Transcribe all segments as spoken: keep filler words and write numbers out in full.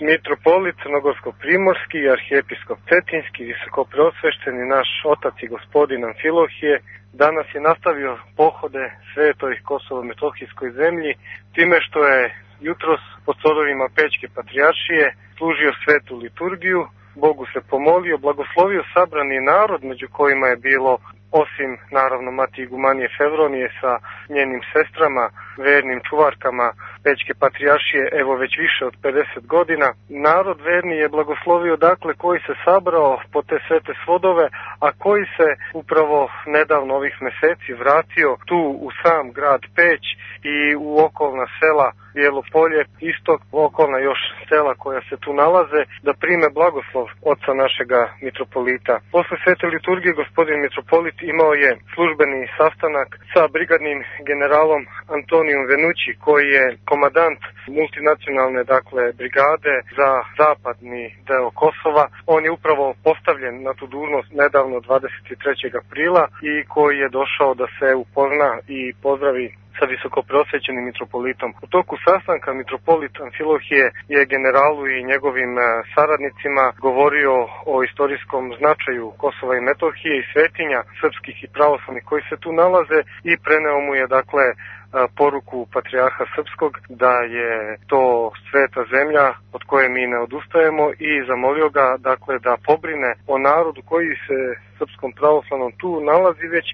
Mitropolit Crnogorsko-primorski i arhijepiskop Cetinski, visokopreosvešteni naš otac i gospodin Amfilohije, danas je nastavio pohode svetoj Kosovo-Metohijskoj zemlji time što je jutros pod svodovima Pećke patrijaršije služio svetu liturgiju, Bogu se pomolio, blagoslovio sabrani narod, među kojima je bilo, osim naravno mati igumanije Fevronije sa njenim sestrama, vernim čuvarkama Pećke patrijaršije, evo već više od pedeset godina. Narod verni je blagoslovio dakle koji se sabrao po te svete svodove, a koji se upravo nedavno ovih meseci vratio tu u sam grad Peć i u okolna sela Bijelo Polje, istok, okolna još sela koja se tu nalaze, da prime blagoslov oca našega mitropolita. Posle svete liturgije gospodin mitropolit imao je službeni sastanak sa brigadnim generalom Antonijom Venući, koji je komadant multinacionalne dakle brigade za zapadni deo Kosova. On je upravo postavljen na tu dužnost nedavno dvadeset trećeg aprila i koji je došao da se upozna i pozdravi sa visokopreosvećenim mitropolitom. U toku sastanka mitropolit Amfilohije je generalu i njegovim saradnicima govorio o istorijskom značaju Kosova i Metohije i svetinja srpskih i pravoslavnih koji se tu nalaze i preneo mu je dakle poruku patrijarha srpskog da je to sveta zemlja od koje mi ne odustajemo i zamolio ga dakle da pobrine o narodu koji se srpskom pravoslavnom tu nalazi već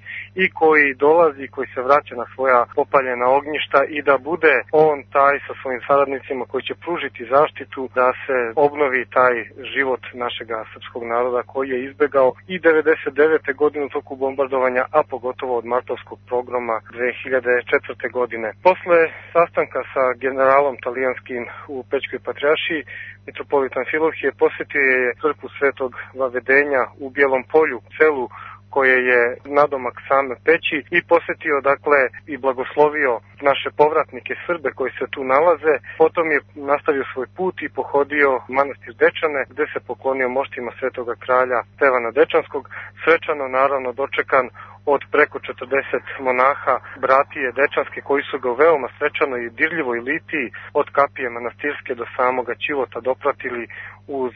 i koji dolazi, koji se vraća na svoja popaljena ognjišta i da bude on taj sa svojim saradnicima koji će pružiti zaštitu da se obnovi taj život našega srpskog naroda koji je izbegao i devedeset devete godine u toku bombardovanja, a pogotovo od martovskog pogroma dve hiljade četvrte godine. Posle sastanka sa generalom talijanskim u Pećkoj patrijaršiji, mitropolit Amfilohije posjetio je crkvu Svetog Vavedenja u Bijelom Polju, selu koje je nadomak same Peći, i posjetio dakle i blagoslovio naše povratnike Srbe koji se tu nalaze. Potom je nastavio svoj put i pohodio manastir Dečane gde se poklonio moštima svetoga kralja Stevana Dečanskog, svečano naravno dočekan od preko četrdeset monaha bratije Dečanske koji su ga u veoma svečanoj i dirljivoj litiji od kapije manastirske do samoga ćivota dopratili uz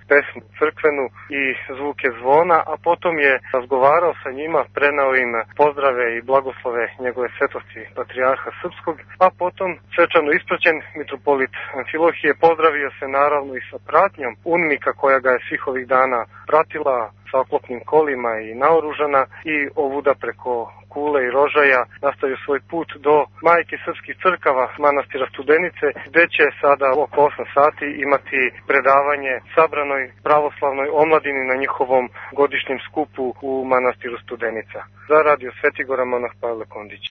pesmu crkvenu i zvuke zvona, a potom je razgovarao sa njima, prenao im pozdrave i blagoslove njegove svetosti patrijarha srpskog, a potom svečano ispraćen mitropolit Amfilohije pozdravio se naravno i sa pratnjom UNMIK-a koja ga je svih ovih dana pratila sa oklopnim kolima i naoružana i ovuda preko Kule i Rožaja nastavio svoj put do majke srpskih crkava manastira Studenice, gde će sada oko osam sati imati predavanje sabranoj pravoslavnoj omladini na njihovom godišnjem skupu u manastiru Studenica. Za radio Svetigora monah Pavle Kondić.